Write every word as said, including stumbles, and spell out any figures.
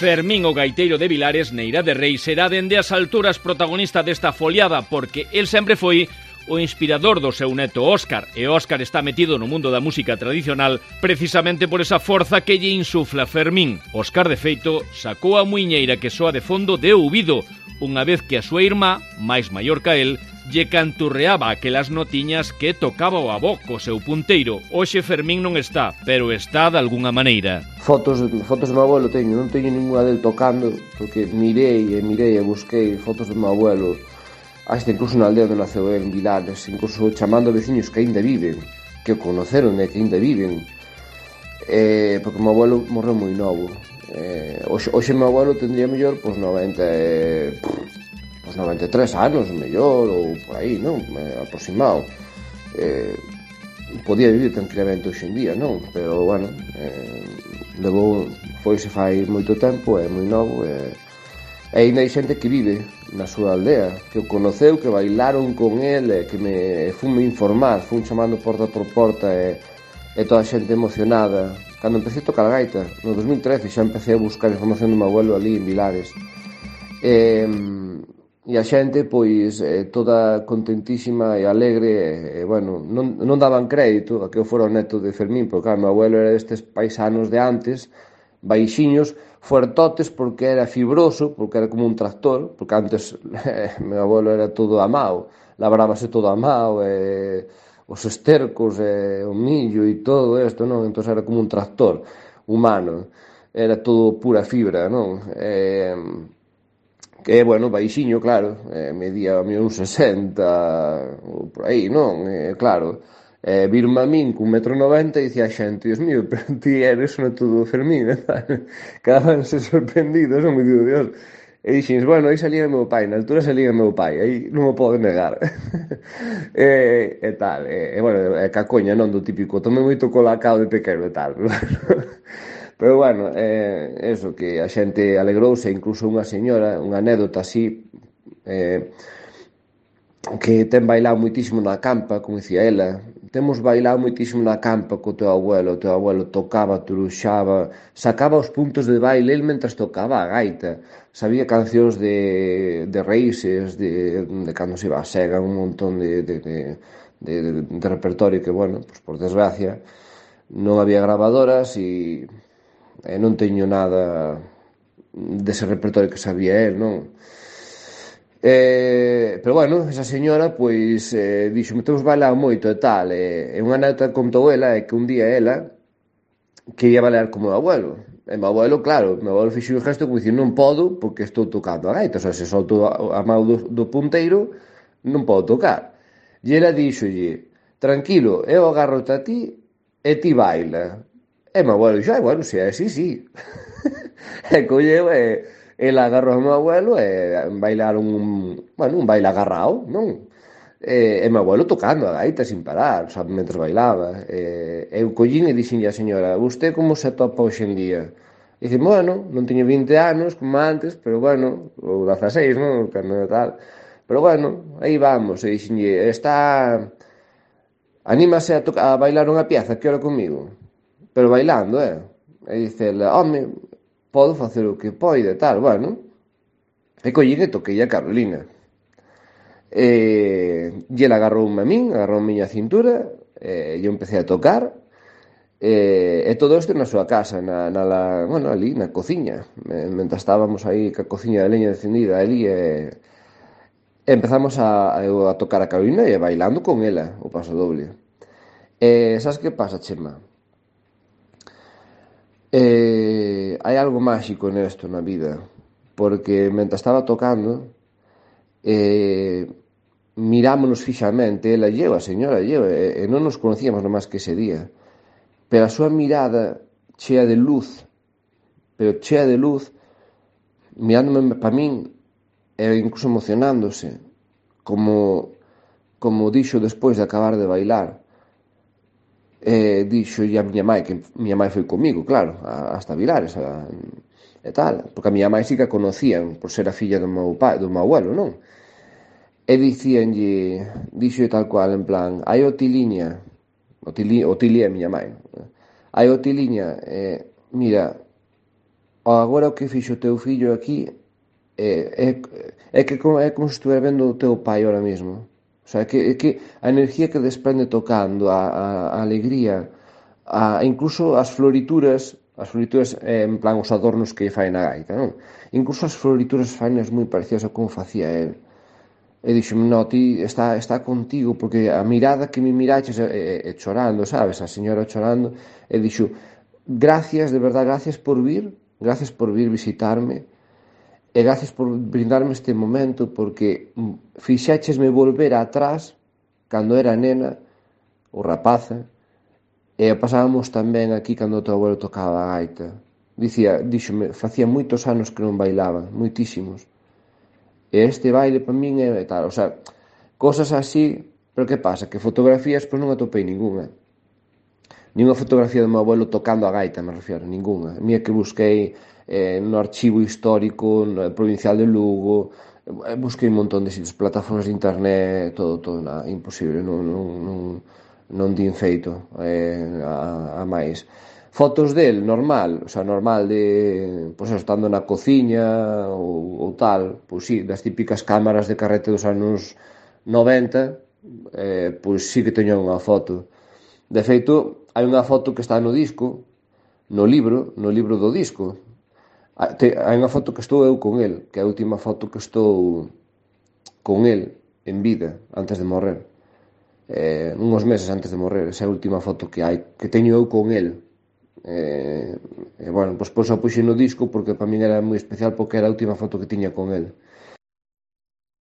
Fermín, o gaiteiro de Vilares, Neira de Rei, será dende as alturas protagonista desta foliada porque el sempre foi o inspirador do seu neto Óscar, e Óscar está metido no mundo da música tradicional precisamente por esa forza que lle insufla Fermín. Óscar, de feito, sacou a muiñeira que soa de fondo de ouvido, unha vez que a súa irmá, máis maior ca el, lle canturreaba aquelas notiñas que tocaba o avó co seu punteiro. Hoxe Fermín non está, pero está de algunha maneira. Fotos, fotos do meu abuelo teño, non teño ninguna del tocando, porque mirei e mirei e busquei fotos do meu abuelo, hasta incluso na aldea onde naceu en Vilares, incluso chamando a veciños que aínda viven, que o conoceron e que aínda viven, eh, porque o meu abuelo morreu moi novo. Eh, hoxe, hoxe o meu abuelo tendría mellor pois noventa, eh, pois noventa e tres anos, mellor, ou por aí, non? Eh, aproximado. Eh, podía vivir tranquilamente hoxe en día, non? Pero, bueno, eh, levou, foise fai moito tempo, é moi novo, e e ainda hai xente que vive na súa aldea, que o conoceu, que bailaron con el, e que me fume informar, fun chamando porta por porta, e, e toda a xente emocionada. Cando empecé a tocar a gaita, no dos mil trece, xa empecé a buscar información do meu abuelo ali en Vilares. E, e a xente, pois, eh, toda contentísima e alegre, e, bueno, non, non daban crédito a que eu fora o neto de Fermín, porque, claro, meu abuelo era destes paisanos de antes, baixiños, fuertotes, porque era fibroso, porque era como un tractor, porque antes eh, meu abuelo era todo a mao, labrábase todo a mao, e os estercos, e o millo e todo isto, non? Entón era como un tractor humano, era todo pura fibra, non? E, que, bueno, baixiño, claro, eh, medía un sesenta, ou por aí, non? E, claro, eh, virme a min cun metro noventa e dicía a xente, Dios mío, pero ti eres o neto do Fermín, e tal. Quedabanse sorprendidos, non me digo, Dios. E dixen, bueno, aí salía o meu pai, na altura salía o meu pai, aí non o podo negar. e, e tal, e, e bueno, é cacoña, non, do típico, tomei moito colacao de pequeno e tal. Pero bueno, eh, eso, que a xente alegrouse, incluso unha señora, unha anécdota así, eh, que ten bailado moitísimo na campa, como dicía ela, temos bailado moitísimo na campa co teu abuelo, o teu abuelo tocaba, turuxaba, sacaba os puntos de baile el mentras tocaba a gaita, sabía cancións de, de raíces, de, de cando se iba a sega, un montón de, de, de, de, de repertorio que, bueno, pues por desgracia, non había grabadoras e, e non teño nada dese repertorio que sabía el, non? Eh, pero bueno, esa señora pois eh, dixo, me temos bailado moito e tal, e, e unha anécdota contou ela é que un día ela quería bailar como o meu abuelo, e o meu abuelo, claro, o meu abuelo fixo un gesto como dicir, non podo porque estou tocando a gaita, o sea, se solto a, a mão do, do punteiro non podo tocar. E ela dixolle, tranquilo, eu agarro-te a ti e ti baila. E o meu abuelo dixo, ai, bueno, se é así, sí. E colleu e ela agarrou ao meu abuelo e bailaron un, bueno, un baile agarrado, non? E, e meu abuelo tocando a gaita sin parar, sabe, mentre bailaba. E, eu collín e dixen a señora, vostede como se topa hoxe en día? E dicen, bueno, non teño vinte anos como antes, pero bueno, ou dezaseis, non? Cando tal. Pero bueno, aí vamos. E dixen, está... anímase a, a bailar unha pieza, que hora comigo? Pero bailando, eh? E dice ela, home, podo facer o que poida e tal, bueno. E collín e toquei a Carolina. E, e ela agarroume a min, agarrou a miña cintura, e eu empecé a tocar, e, e todo isto na súa casa, na, na la, bueno, ali, na cociña. E, mentre estábamos aí ca cociña de leña encendida ali, e, e empezamos a, a, a tocar a Carolina e bailando con ela, o paso doble. E sabes que pasa, Chema? Eh, hai algo máxico nesto na vida, porque mentre estaba tocando eh, mirámonos fixamente, ela e eu, a señora e eu, e, e non nos conocíamos nomás que ese día, pero a súa mirada chea de luz, pero chea de luz, mirándome para min e incluso emocionándose, como como dixo despois de acabar de bailar. E dixo a miña mãe, que miña mãe foi comigo, claro, hasta Vilares a, e tal, porque a miña mãe sí que a conocían por ser a filla do meu pai, do meu abuelo, non? E dicíanlle, dixo tal cual, en plan, hai o tiliña, o tili, o tili é a miña mãe, hai o tiliña, eh, mira, agora o que fixo o teu fillo aquí é, é, é que como, é como se estuviera vendo o teu pai ahora mismo. O sea, que, que a energía que desprende tocando, a, a, a alegría, a, incluso as florituras, as florituras eh, en plan os adornos que fai na gaita, non? Incluso as florituras fainas moi parecidas a como facía el. E dixo, no, ti está, está contigo, porque a mirada que me miraches é, é, é chorando, sabes? A señora chorando, e dixo, gracias, de verdad, gracias por vir, gracias por vir visitarme, e gracias por brindarme este momento, porque fixéchesme volver atrás, cando era nena, ou rapaza, e pasábamos tamén aquí cando o teu abuelo tocaba a gaita. Dicía, díxome, facía moitos anos que non bailaba, moitísimos. E este baile para min é tal, o sea, cosas así, pero que pasa? Que fotografías, pois non atopei ninguna. Ninguna fotografía do meu abuelo tocando a gaita, me refiero, ninguna. A mía que busquei eh, no archivo histórico, no provincial de Lugo, eh, busquei un montón de sitios, plataformas de internet, todo, todo, nada, imposible, non, non, non, non din feito eh, a, a máis. Fotos del, normal, o sea, normal de, pois, estando na cociña ou, ou tal, pois sí, das típicas cámaras de carrete dos anos noventa, eh, pois sí que teño unha foto. De feito, hai unha foto que está no disco, no libro, no libro do disco. Hai unha foto que estou eu con el, que é a última foto que estou con el en vida, antes de morrer. Eh, uns meses antes de morrer, esa é a última foto que hai, que teño eu con el. E, e bueno, pois pois a puxei no disco porque para min era moi especial porque era a última foto que tiña con el.